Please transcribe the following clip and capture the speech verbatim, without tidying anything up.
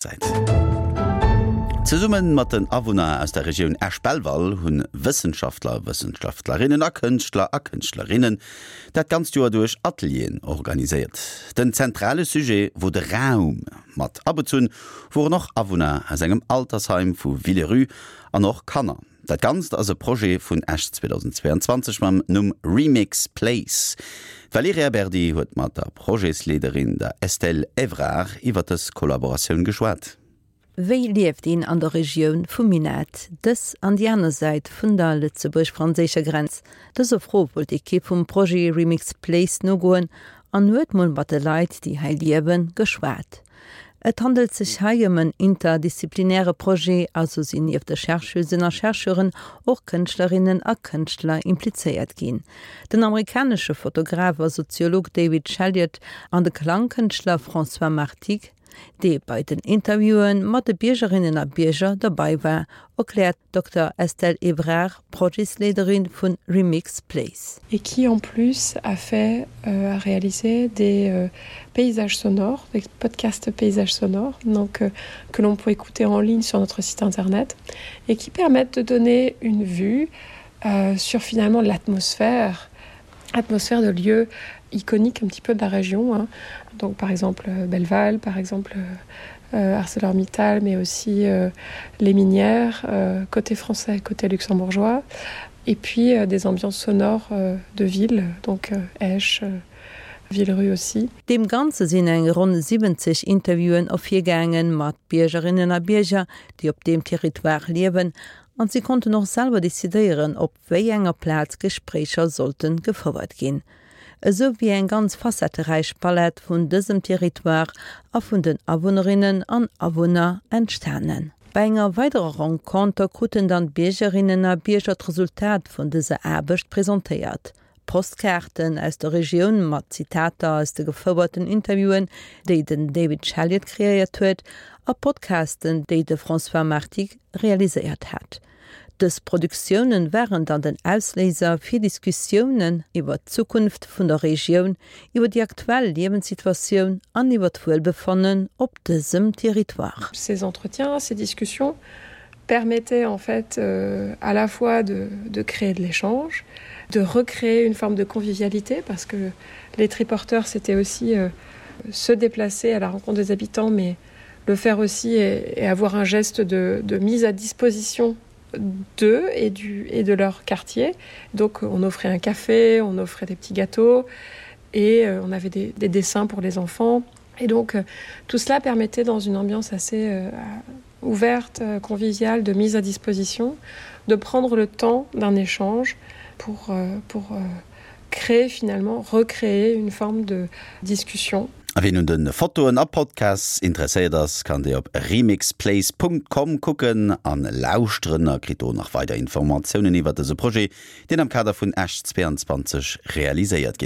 Zäit. Zesumme mat den Awunner aus der Regioun Esch-Belval hunn Wëssenschaftler, Wëssenschaftlerinnen a Kënschtler a Kënschtlerinnen dat ganzt Joer duerch Atelieren organiséiert. Den zentrale Sujet wor de Raum. Mat abezunn woren och Awunner aus engem Altersheim vu Villerupt an och Kanner. Dat Ganzt ass e Projet vun Esch zweedausendzweeanzwanzeg mam Numm Remix Place. D'Valerija Berdi huet mat der Projetsleederin, der Estelle Evrard, iwwer dës Kollaboratioun geschwat. Wéi lieft een an der Regioun vum Minett, dës an déi aner Säit vun der lëtzebuerg-franséischer Grenz? Dëser Fro wollt d'Ekipp vum Projet Remix Place nogoen an huet mol mat de Leit, déi hei liewen, geschwat. Et handelt sech hei ëm en interdisziplinäre Projet, also sinn nieft de Chercheusen a Chercheuren och Kënschtlerinnen a Kënschtler implizéiert ginn. Den amerikanesche Fotograf a Soziolog David Chaliot an de Klangkënschtler François Martigue, dee bei den Interviewen mat de Biergerinnen a Bierger derbäi war, erkläert d'Dokter Estelle Evrard, Projetsleederin vun Remix Place. Et qui en plus a fait euh, a réalisé des euh, paysages sonores, des podcasts paysages sonores, donc euh, que l'on peut écouter en ligne sur notre site internet et qui permettent de donner une vue euh, sur finalement l'atmosphère atmosphère de lieux iconiques un petit peu de la région hein. Donc par exemple euh, Belval, par exemple euh, ArcelorMittal, mais aussi euh, les minières euh, côté français, côté luxembourgeois et puis euh, des ambiances sonores euh, de ville, donc euh, Esch, euh, Villerue aussi. Deem Ganze sinn eng ronn siwwenzeg Interviewen ervirgaangen mat Biergerinnen a Bierger, déi op deem Territoire liewen, an si konnten och selwer decidéieren, op wéi enger Plaz Gespréicher sollte gefouert ginn. Esou wier eng ganz facetteräich Palett vun dësem Territoire a vun den Awunnerinnen an Awunner entstanen. Bei enger weiderer Renconter kruten dann d'Biergerinnen a Bierger d'Resultat vun dëser Aarbecht presentéiert. Postkaarten aus der Regioun mat Zitater aus de gefouerten Interviewen, déi den David Chaliot kreéiert huet, a Podcasten, déi de François Martigue realiséiert hat. Dës Produktiounen waren dann den Ausléiser fir Diskussiounen iwwer d'Zukunft vun der Regioun, iwwer déi aktuell Liewenssituatioun an iwwer d'Wuelbefannen op dësem Territoire. Ces entretiens, ces discussions permettaient en fait euh, à la fois de, de créer de l'échange, de recréer une forme de convivialité parce que les triporteurs c'était aussi euh, se déplacer à la rencontre des habitants mais le faire aussi et, et avoir un geste de, de mise à disposition d'eux et du et de leur quartier. Donc on offrait un café, on offrait des petits gâteaux et euh, on avait des, des dessins pour les enfants. Et donc euh, tout cela permettait dans une ambiance assez euh, ouverte, euh, conviviale, de mise à disposition, de prendre le temps d'un échange pour, euh, pour euh, créer finalement, recréer une forme de discussion. A wien un de Fotoen a Podcasts interesséiert ass, kann déi op remixplace Punkt com kucken an lauschteren a kritt do nach weider Informatiounen iwwer dëse Projet, deen am Kader vun Esch zweiundzwanzeg realiséiert ginn.